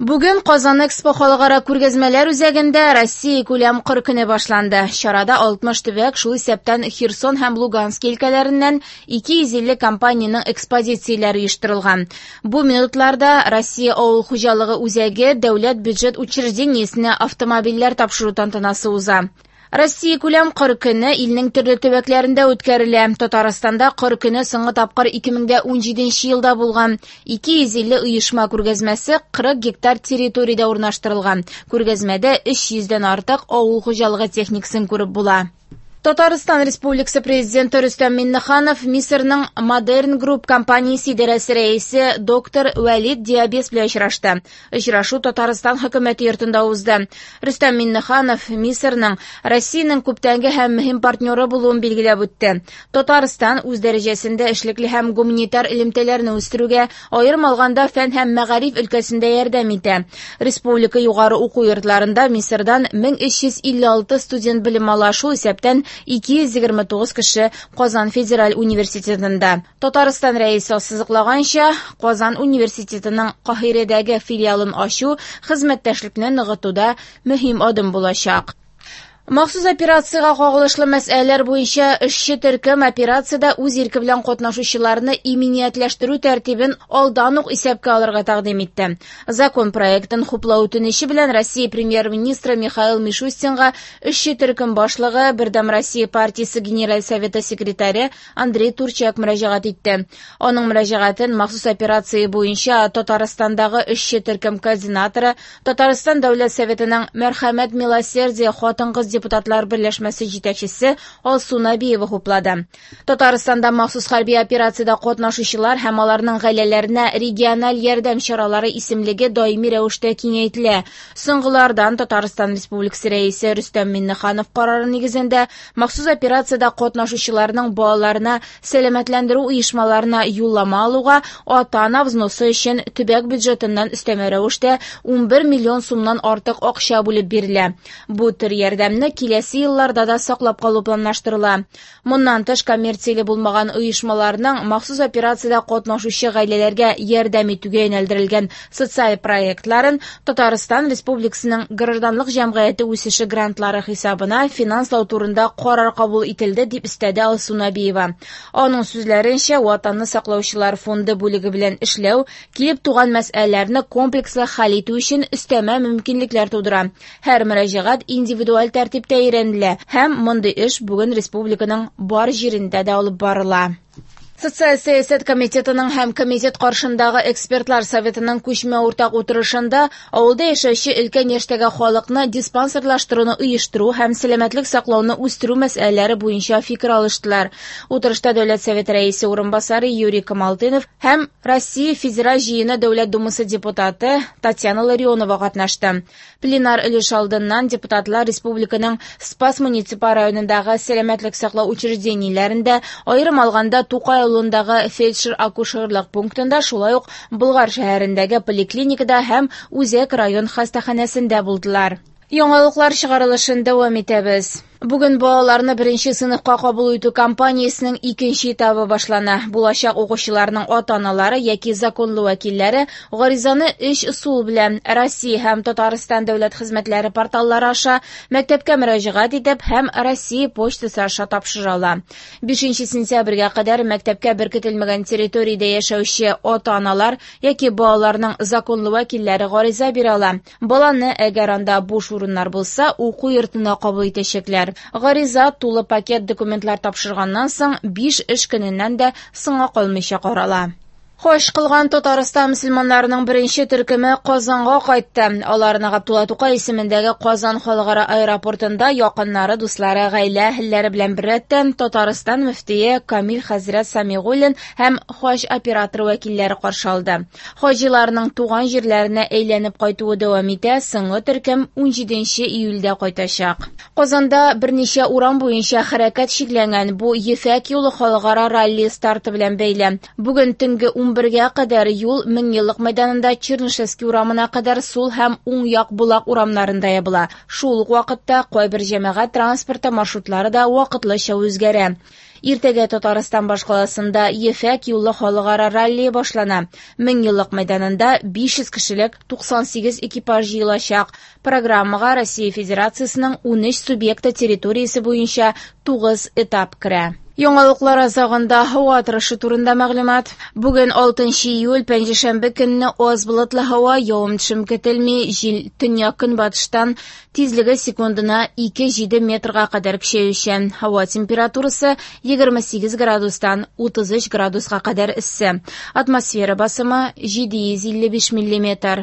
Бүген Казан Экспо халыкара күргәзмәләр үзәгендә Россия күләм кыр көне башланды. Чарада 60 төбәк, шул исәптән Херсон һәм Луганск өлкәләреннән 250 компаниянең экспозицияләре оештырылган. Бу минутларда Россия авыл хуҗалыгы үзәге дәүләт бюджет учреждениесенә автомобильләр тапшыру тантанасы уза. Россия күләм кыр көне илнең төрле төбәкләрендә үткәрелә. Татарстанда кыр көне соңгы тапкыр 2017 елда булган. 250 оешма күргәзмәсе 40 гектар территориядә урнаштырылган. Күргәзмәдә 300 дән артык авыл хуҗалыгы техникасын күреп була. Татарстан Республикасы Президенты Рөстәм Миңнеханов Мисырның Modern Group компаниясе идарәсе рәисе доктор Вәлид Диабес белән очрашты. Очрашу Татарстан хөкүмәте йортында узды. Рөстәм Миңнеханов Мисырның Россиянең күптәнге һәм мөһим партнеры булуын билгеләп үтте. Татарстан үз дәрәҗәсендә эшлекле һәм гуманитар элемтәләрне үстерүгә, аерым алганда фән һәм мәгариф өлкәсендә ярдәм итә. Республика югары уку йортларында Мисырдан 1356 студент белем ала, шул исәптән 229 кеше Казан федераль университетында. Татарстан рәисе ассызыклаганча, Казан университетының Каһирәдәге филиалын ачу хезмәттәшлекне ныгытуда мөһим адым булачак. Махсус операциягә кагылышлы мәсьәләләр буенча эшче төркем операциядә үз ирке белән катнашучыларны иминиятләштерү тәртибен алдан ук исәпкә алырга тәкъдим итте. Закон проектын хуплау үтенече белән Россия премьер-министры Михаил Мишустинга эшче төркем башлыгы, Бердәм Россия партиясе Генераль советы секретаре Андрей Турчак мөрәҗәгать итте. Аның мөрәҗәгатен махсус операция буенча Татарстандагы эшче төркем координаторы, Татарстан Дәүләт Советының Мәрхәмәт Милосердие хатын-кыз депутатлар берләшмәсе җитәкчесе Алсу Набиева хуплады. Татарстанда махсус хәрби операциядә катнашучылар һәм аларның гаиләләренә региональ ярдәм чаралары исемлеге даими рәвештә киңәйтелә. Соңгылардан Татарстан Республикасы Рәисе Рөстәм Миңнеханов карары нигезендә махсус операциядә катнашучыларның балаларына сәламәтләндерү оешмаларына юллама алуга ата-ана взносы өчен төбәк бюджетыннан өстәмә рәвештә 11 миллион сумнан артык акча бүлеп бирелә. Бу төр ярдәмне киләсе елларда да саклап калу планлаштырыла. Моннан тыш коммерцияле булмаган оешмаларның махсус операциядә катнашучы гаиләләргә ярдәм итүгә юнәлдерелгән социаль проектларын Татарстан Республикасының гражданлык җәмгыяте үсеше грантлары хисабына финанслау турында карар кабул ителде, дип өстәде Алсу Набиева. Аның сүзләренчә, Ватанны саклаучылар фонды бүлеге белән эшләү килеп туган мәсьәләләрне комплекслы хәл итү өчен өстәмә мөмкинлекләр тудыра. Һәр мөрәҗәгать индивидуаль тәртиптә өйрәнелә һәм мондый эш бүген республиканың бар җирендә дә алып барыла. Социаль сәясәт комитетының һәм комитет каршындагы экспертлар советының күчмә уртак утырышында авылда яшәүче өлкән яшьтәге халыкны диспансерлаштыруны оештыру һәм сәламәтлек саклауны үстерү мәсьәләләре буенча фикер алыштылар. Утырышта Дәүләт Советы рәисе урынбасары Юрий Камалтынов һәм Россия Федераль Җыены Дәүләт Думасы депутаты Татьяна Ларионова катнашты. Пленар өлеш алдыннан депутатлар республиканың Спас муниципаль районындагы сәламәтлек саклау учреждениеләрендә, аерым алганда Тукай авылындагы фельдшер-акушерлык пунктында, шулай ук Болгар шәһәрендәге поликлиникада һәм Үзәк район хастаханәсендә булдылар. Яңалыклар чыгарылышын дәвам итәбез. Бүген балаларны беренче сыйныфка кабул итү кампаниясенең икенче этабы башлана. Булачак укучыларның ата-аналары яки законлы вәкилләре гаризаны өч ысул белән Россия һәм Татарстан дәүләт хезмәтләре порталлары аша, мәктәпкә мөрәҗәгать итеп һәм Россия почтасы аша тапшыра ала. 5 сентябрьгә кадәр мәктәпкә беркетелмәгән территориядә яшәүче ата-аналар яки балаларның законлы вәкилләре гариза бирә ала. Баланы, әгәр анда буш урыннар булса, уку йортына кабул итәчәкләр. Гариза тулы пакет документлар тапшырганнан соң 5 эш көненнән дә соңга калмыйча карала. Хаҗ кылган Татарстан мөселманнарының беренче төркеме Казанга кайтты. Аларны Габдулла Тукай исемендәге Казан халыкара аэропортында якыннары, дуслары, гаилә әһелләре белән беррәттән Татарстан мөфтие Камил хәзрәт Самигуллин һәм хаҗ операторы вәкилләре каршы алды. Хаҗиларның туган җирләренә әйләнеп кайтуы дәвам итә, соңгы төркем 17 июльдә кайтачак. Казанда берничә урам буенча хәрәкәт чикләнгән. Бу Ефәк юлы халыкара ралли старты белән бәйле. Бүген төнге 11-гә кадәр юл Меңьеллык мәйданында Чернышевский урамына кадәр сул һәм уң як Болак урамнарында ябыла. Шул ук вакытта кайбер җәмәгать транспорты маршрутлары да вакытлыча үзгәрә. Иртәгә Татарстан башкаласында Ефәк юлы халыкара раллие башлана. Меңьеллык мәйданында 500 кешелек 98 экипаж җыелачак. Программага Россия Федерациясенең 13 субъекты территориясе буенча 9 этап керә. Яңалыклар азагында һава торышы турында мәгълүмат. Бүген 6 июль, пәнҗешәмбе көнне аз болытлы һава, явым-төшем көтелми, җил төньяк-көнбатыштан тизлеге секундына 2,7 метрга кадәр көчәючән. Һава температурасы 28 градустан 33 градуска кадәр эссе. Атмосфера басымы 755 миллиметр.